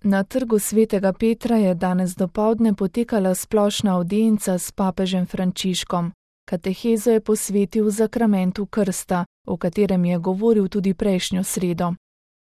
Na trgu svetega Petra je danes dopoldne potekala splošna avdienca s papežem Frančiškom. Katehezo je posvetil zakramentu krsta, o katerem je govoril tudi prejšnjo sredo.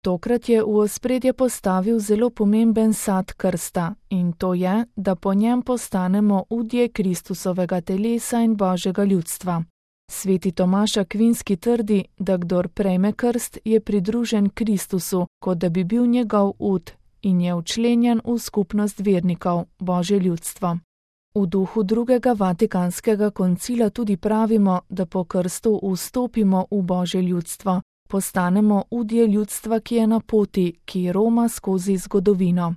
Tokrat je v ospredje postavil zelo pomemben sad krsta, in to je, da po njem postanemo udje Kristusovega telesa in Božjega ljudstva. Sveti Tomaž Akvinski trdi, da kdor prejme krst, je pridružen Kristusu, kot da bi bil njegov ud, in je včlenjen v skupnost vernikov, Božje ljudstvo. V duhu drugega Vatikanskega koncila tudi pravimo, da po krstu vstopimo v Božje ljudstvo, postanemo udje ljudstva, ki je na poti, ki roma skozi zgodovino.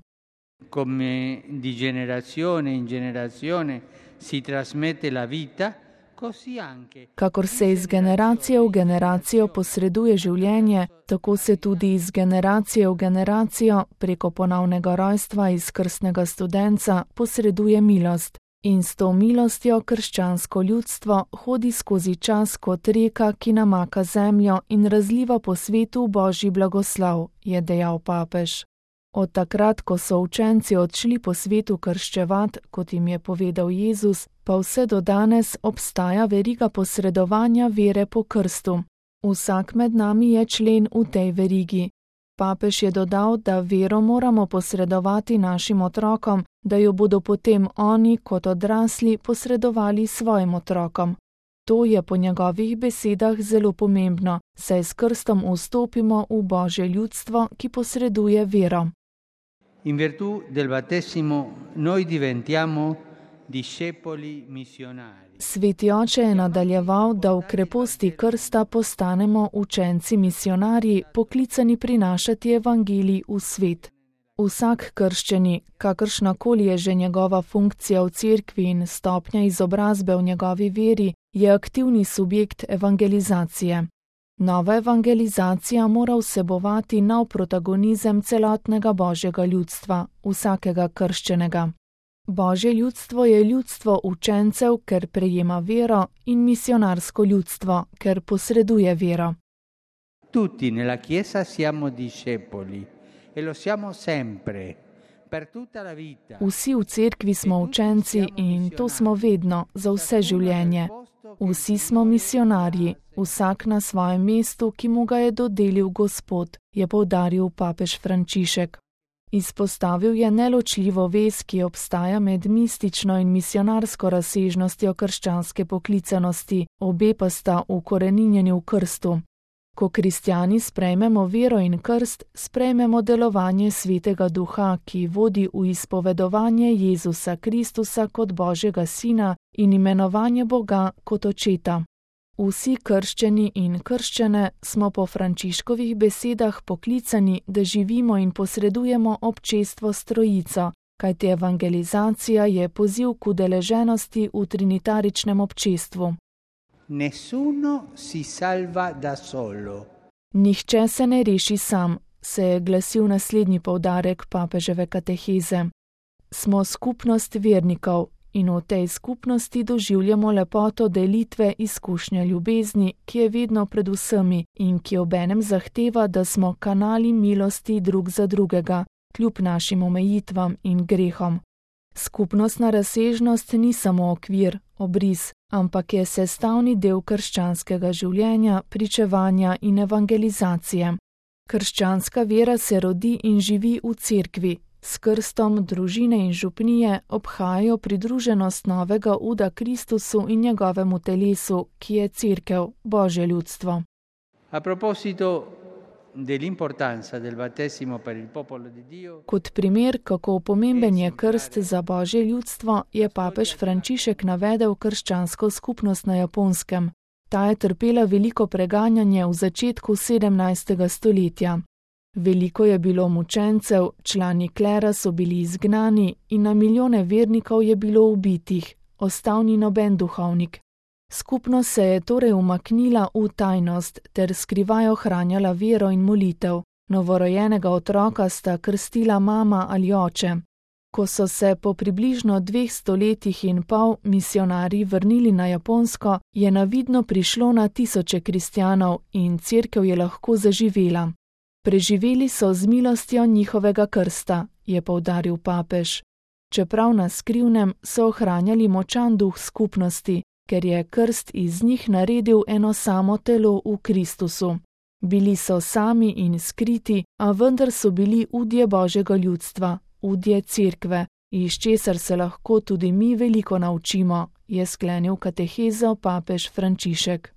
Come di generazione in generazione si trasmette la vita, così anche. Kakor se iz generacije v generacijo posreduje življenje, tako se tudi iz generacije v generacijo preko ponovnega rojstva iz krstnega studenca posreduje milost. In s to milostjo krščansko ljudstvo hodi skozi čas kot reka, ki namaka zemljo in razliva po svetu Božji blagoslov, je dejal papež. Od takrat, ko so učenci odšli po svetu krščevat, kot jim je povedal Jezus, pa vse do danes obstaja veriga posredovanja vere po krstu. Vsak med nami je člen v tej verigi. Papež je dodal, da vero moramo posredovati našim otrokom, da jo bodo potem oni kot odrasli posredovali svojim otrokom. To je po njegovih besedah zelo pomembno, saj s krstom vstopimo v Božje ljudstvo, ki posreduje vero. In virtù del battesimo noi diventiamo discepoli missionari. Sveti oče je nadaljeval, da v kreposti krsta postanemo učenci misionarji, poklicani prinašati evangelij v svet. Vsak krščeni, kakršnakoli je že njegova funkcija v cerkvi in stopnja izobrazbe v njegovi veri, je aktivni subjekt evangelizacije. Nova evangelizacija mora vsebovati nov protagonizem celotnega Božjega ljudstva, vsakega krščenega. Božje ljudstvo je ljudstvo učencev, ker prejema vero, in misionarsko ljudstvo, ker posreduje vero. Tutti nella Chiesa siamo discepoli e lo siamo sempre, per tutta la vita. Vsi v cerkvi smo učenci in to smo vedno, za vse življenje. Vsi smo misionarji, vsak na svojem mestu, ki mu ga je dodelil Gospod, je poudaril papež Frančišek. Izpostavil je neločljivo vez, ki obstaja med mistično in misionarsko razsežnostjo krščanske poklicanosti, obe pa sta ukoreninjeni v krstu. Ko kristjani sprejmemo vero in krst, sprejmemo delovanje Svetega Duha, ki vodi v izpovedovanje Jezusa Kristusa kot Božjega Sina in imenovanje Boga kot Očeta. Vsi krščeni in krščene smo po Frančiškovih besedah poklicani, da živimo in posredujemo občestvo s Trojico, kajti evangelizacija je poziv k udeleženosti v trinitaričnem občestvu. Nessuno si salva da solo. Nihče se ne reši sam, se je glasil naslednji poudarek papeževe kateheze. Smo skupnost vernikov in v tej skupnosti doživljamo lepoto delitve izkušnje ljubezni, ki je vedno pred vsemi in ki obenem zahteva, da smo kanali milosti drug za drugega, kljub našim omejitvam in grehom. Skupnostna razsežnost ni samo okvir, obris, ampak je sestavni del krščanskega življenja, pričevanja in evangelizacije. Krščanska vera se rodi in živi v cerkvi. S krstom družine in župnije obhajajo pridruženost novega uda Kristusu in njegovemu telesu, ki je cerkev, Božje ljudstvo. A proposito dell'importanza del battesimo per il popolo di Dio. Kot primer, kako pomemben je krst za Božje ljudstvo, je papež Frančišek navedel krščansko skupnost na Japonskem. Ta je trpela veliko preganjanje v začetku 17. stoletja. Veliko je bilo mučencev, člani klera so bili izgnani in na milijone vernikov je bilo ubitih, ostal ni noben duhovnik. Skupnost se je torej umaknila v tajnost ter skrivaj ohranjala vero in molitev. Novorojenega otroka sta krstila mama ali oče. Ko so se po približno 2 stoletjih in pol misionarji vrnili na Japonsko, je navidno prišlo na tisoče kristjanov in cerkev je lahko zaživela. Preživeli so z milostjo njihovega krsta je poudaril papež. Čeprav na skrivnem so ohranjali močan duh skupnosti, ker je krst iz njih naredil eno samo telo v Kristusu. Bili so sami in skriti, a vendar so bili udje Božjega ljudstva, udje Cerkve, iz česar se lahko tudi mi veliko naučimo, je sklenil katehezo papež Frančišek.